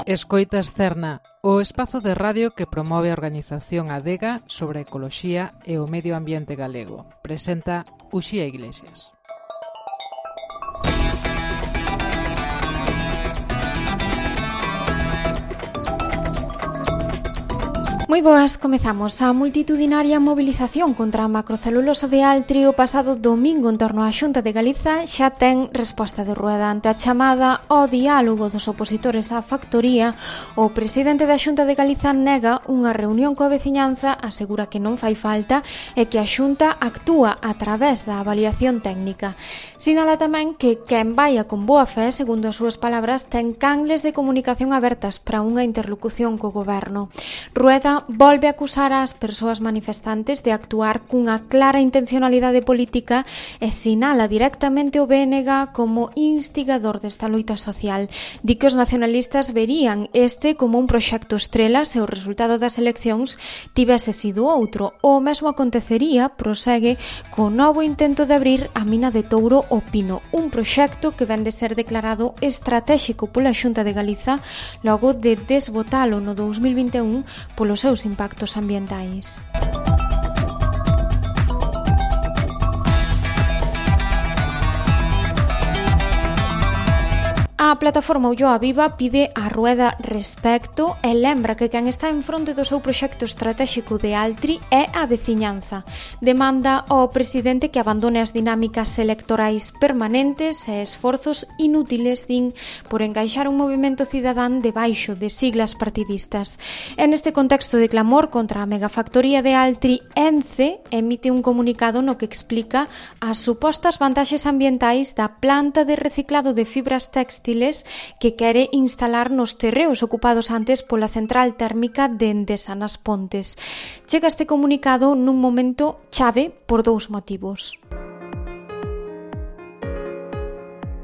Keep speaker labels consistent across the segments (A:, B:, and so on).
A: Escoitas Cerna, o espazo de radio que promove a organización Adega sobre a ecoloxía e o medio ambiente galego. Presenta Uxía Iglesias.
B: Moi boas, comezamos a multitudinaria mobilización contra a macrocelulosa de Altri o pasado domingo en torno á Xunta de Galiza xa ten resposta de rueda ante a chamada ao diálogo dos opositores á factoría. O presidente da Xunta de Galiza nega unha reunión coa veciñanza, asegura que non fai falta e que a Xunta actúa a través da avaliación técnica. Sinala tamén que quen vaia con boa fe, segundo as súas palabras, ten canles de comunicación abertas para unha interlocución co goberno. Rueda volve a acusar ás persoas manifestantes de actuar cunha clara intencionalidade política e sinala directamente o BNG como instigador desta loita social. Di que os nacionalistas verían este como un proxecto estrela se o resultado das eleccións tivese sido outro. O mesmo acontecería, prosegue, co novo intento de abrir a mina de Touro o Pino, un proxecto que ven de ser declarado estratéxico pola Xunta de Galiza logo de desbotalo no 2021 polos seus impactos ambientais. A plataforma Ulloa Viva pide a Rueda respecto e lembra que quen está en fronte do seu proxecto estratéxico de Altri é a veciñanza. Demanda ao presidente que abandone as dinámicas electorais permanentes e esforzos inútiles, din, por encaixar un movimento cidadán debaixo de siglas partidistas. En este contexto de clamor contra a megafactoría de Altri, ENCE emite un comunicado no que explica as supostas vantaxes ambientais da planta de reciclado de fibras textiles que quere instalar nos terreos ocupados antes pola central térmica de Endesa nas Pontes. Chega este comunicado nun momento chave por dous motivos.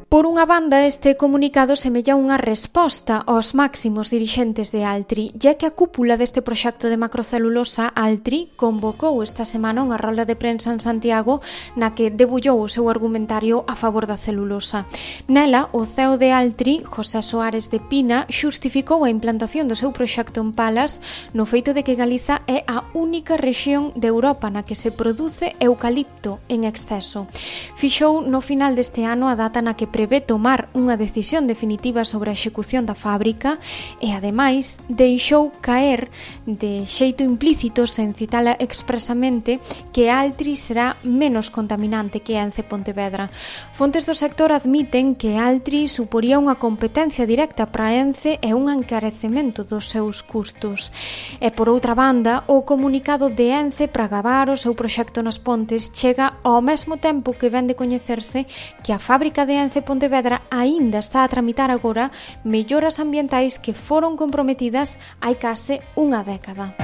B: Por unha banda, este comunicado semella unha resposta aos máximos dirixentes de Altri, ya que a cúpula deste proxecto de macrocelulosa, Altri, convocou esta semana unha rolda de prensa en Santiago na que debullou o seu argumentario a favor da celulosa. Nela, o CEO de Altri, José Soares de Pina, xustificou a implantación do seu proxecto en Palas no feito de que Galiza é a única rexión de Europa na que se produce eucalipto en exceso. Fixou no final deste ano a data na que prevé tomar unha decisión definitiva sobre a execución da fábrica e, ademais, deixou caer de xeito implícito, sen citala expresamente, que Altri será menos contaminante que ENCE Pontevedra. Fontes do sector admiten que Altri suporía unha competencia directa para ENCE e un encarecemento dos seus custos. E, por outra banda, o comunicado de ENCE para gabar o seu proxecto nas Pontes chega ao mesmo tempo que ven de coñecerse que a fábrica de ENCE Pontevedra aínda está a tramitar agora melloras ambientais que foron comprometidas hai case unha década.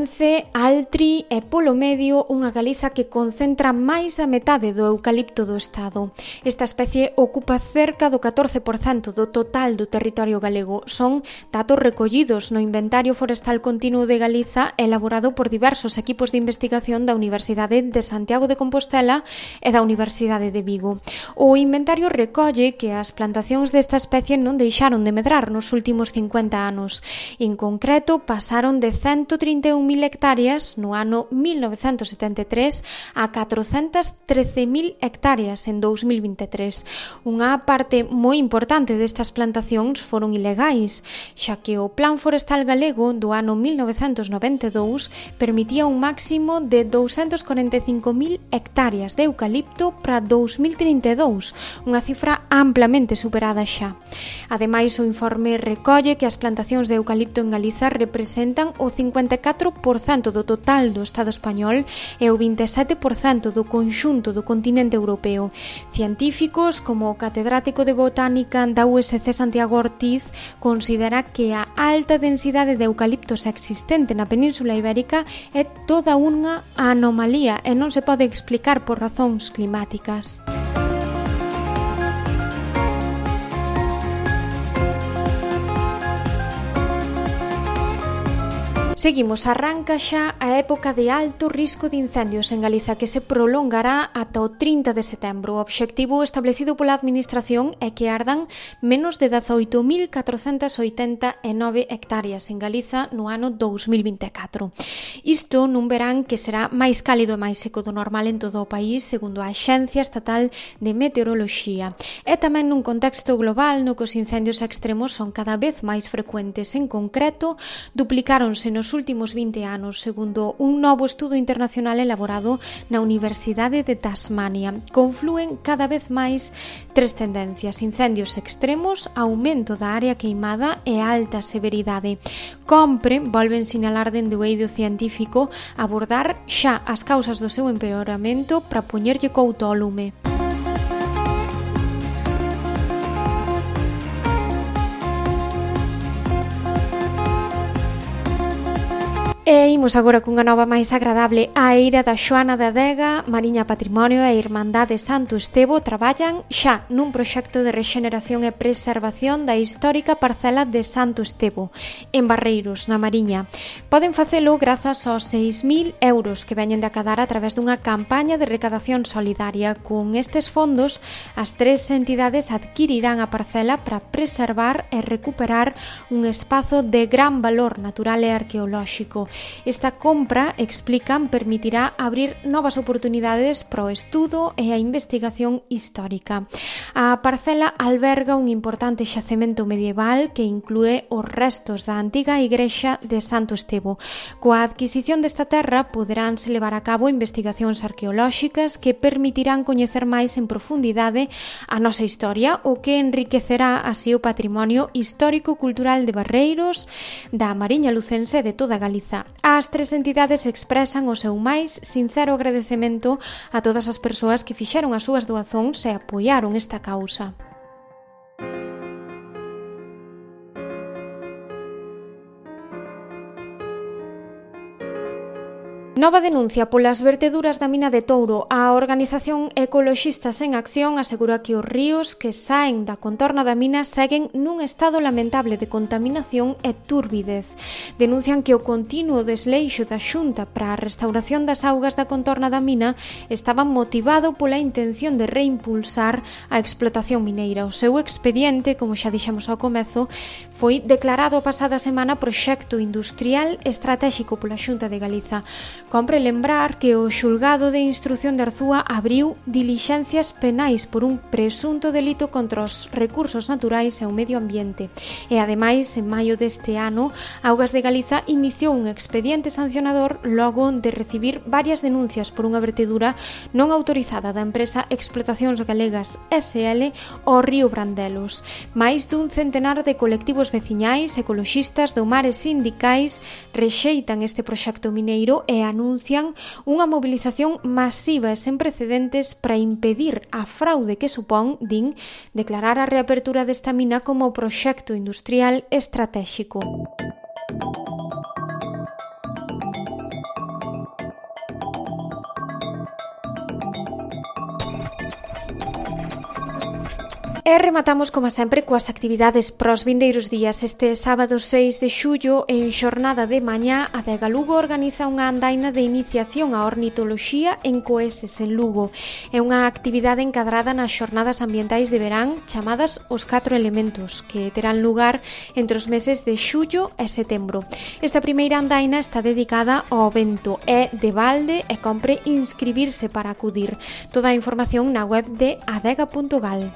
B: ENCE, Altri e polo medio unha Galiza que concentra máis da metade do eucalipto do Estado. Esta especie ocupa cerca do 14% do total do territorio galego. Son datos recollidos no Inventario Forestal Continuo de Galiza elaborado por diversos equipos de investigación da Universidade de Santiago de Compostela e da Universidade de Vigo. O inventario recolle que as plantacións desta especie non deixaron de medrar nos últimos 50 anos. En concreto, pasaron de 131.000 hectáreas no ano 1973 a 413.000 hectáreas en 2023. Unha parte moi importante destas plantacións foron ilegais, xa que o Plan Forestal Galego do ano 1992 permitía un máximo de 245.000 hectáreas de eucalipto para 2032, unha cifra amplamente superada xa. Ademais, o informe recolle que as plantacións de eucalipto en Galiza representan o 54% do total do Estado español e o 27% do conxunto do continente europeo. Científicos como o catedrático de botánica da USC Santiago Ortiz considera que a alta densidade de eucaliptos existente na Península Ibérica é toda unha anomalía e non se pode explicar por razóns climáticas. Seguimos, arranca xa a época de alto risco de incendios en Galiza que se prolongará ata o 30 de setembro. O obxectivo establecido pola Administración é que ardan menos de 18.489 hectáreas en Galiza no ano 2024. Isto nun verán que será máis cálido e máis seco do normal en todo o país, segundo a Axencia Estatal de Meteoroloxía. E tamén nun contexto global no que os incendios extremos son cada vez máis frecuentes. En concreto, duplicáronse nos últimos 20 anos, segundo un novo estudo internacional elaborado na Universidade de Tasmania. Conflúen cada vez máis tres tendencias: incendios extremos, aumento da área queimada e alta severidade. Compre, volven sinalar dende o eido científico, abordar xa as causas do seu empeoramento para poñerlle couto ao lume. E imos agora cunha nova máis agradable. A eira da Xoana de Adega, Mariña Patrimonio e Irmandade Santo Estevo traballan xa nun proxecto de rexeneración e preservación da histórica parcela de Santo Estevo, en Barreiros, na Mariña. Poden facelo grazas aos 6.000 euros que veñen de acadar a través dunha campaña de recadación solidaria. Con estes fondos, as tres entidades adquirirán a parcela para preservar e recuperar un espazo de gran valor natural e arqueolóxico. Esta compra, explican, permitirá abrir novas oportunidades para o estudo e a investigación histórica. A parcela alberga un importante xacemento medieval que inclúe os restos da antiga igrexa de Santo Estevo. Coa adquisición desta terra poderánse levar a cabo investigacións arqueolóxicas que permitirán coñecer máis en profundidade a nosa historia, o que enriquecerá así o patrimonio histórico-cultural de Barreiros, da Mariña Lucense e de toda Galiza. As tres entidades expresan o seu máis sincero agradecemento a todas as persoas que fixeron as súas doazóns e apoiaron esta causa. Nova denuncia polas verteduras da mina de Touro. A organización Ecoloxistas en Acción asegura que os ríos que saen da contorna da mina seguen nun estado lamentable de contaminación e turbidez. Denuncian que o continuo desleixo da Xunta para a restauración das augas da contorna da mina estaba motivado pola intención de reimpulsar a explotación mineira. O seu expediente, como xa dixemos ao comezo, foi declarado a pasada semana proxecto industrial estratéxico pola Xunta de Galiza. Compre lembrar que o xulgado de instrución de Arzúa abriu dilixencias penais por un presunto delito contra os recursos naturais e o medio ambiente. E, ademais, en maio deste ano, Augas de Galiza iniciou un expediente sancionador logo de recibir varias denuncias por unha vertedura non autorizada da empresa Explotacións Galegas SL ao río Brandelos. Máis dun centenar de colectivos veciñais, ecoloxistas, do mar e sindicais rexeitan este proxecto mineiro e anuncian unha mobilización masiva e sen precedentes para impedir a fraude que supón, din, declarar a reapertura desta mina como proxecto industrial estratéxico. E rematamos, como sempre, coas actividades pros vindeiros días. Este sábado 6 de xullo, en xornada de mañá, a Adega Lugo organiza unha andaina de iniciación á ornitoloxía en Coeses, en Lugo. É unha actividade encadrada nas xornadas ambientais de verán chamadas Os 4 Elementos, que terán lugar entre os meses de xullo e setembro. Esta primeira andaina está dedicada ao vento, é de balde e compre inscribirse para acudir. Toda a información na web de adega.gal.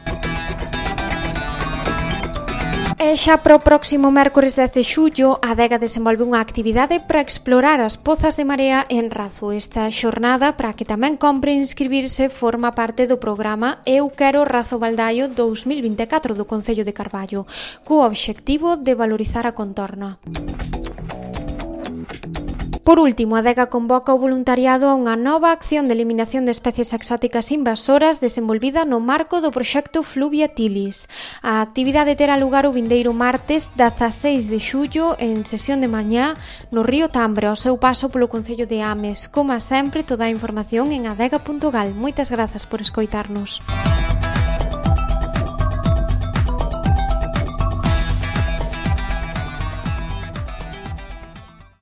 B: E xa para o próximo mércores 10 de xullo, a Adega desenvolve unha actividade para explorar as pozas de marea en Razo. Esta xornada, para que tamén compre inscribirse, forma parte do programa Eu Quero Razo Baldaio 2024 do Concello de Carballo, co obxectivo de valorizar a contorna. Por último, a Adega convoca o voluntariado a unha nova acción de eliminación de especies exóticas invasoras desenvolvida no marco do proxecto Fluviatilis. A actividade terá lugar o vindeiro martes 16 de xullo en sesión de mañá no río Tambre, ao seu paso polo Concello de Ames. Como sempre, toda a información en adega.gal. Moitas grazas por escoitarnos.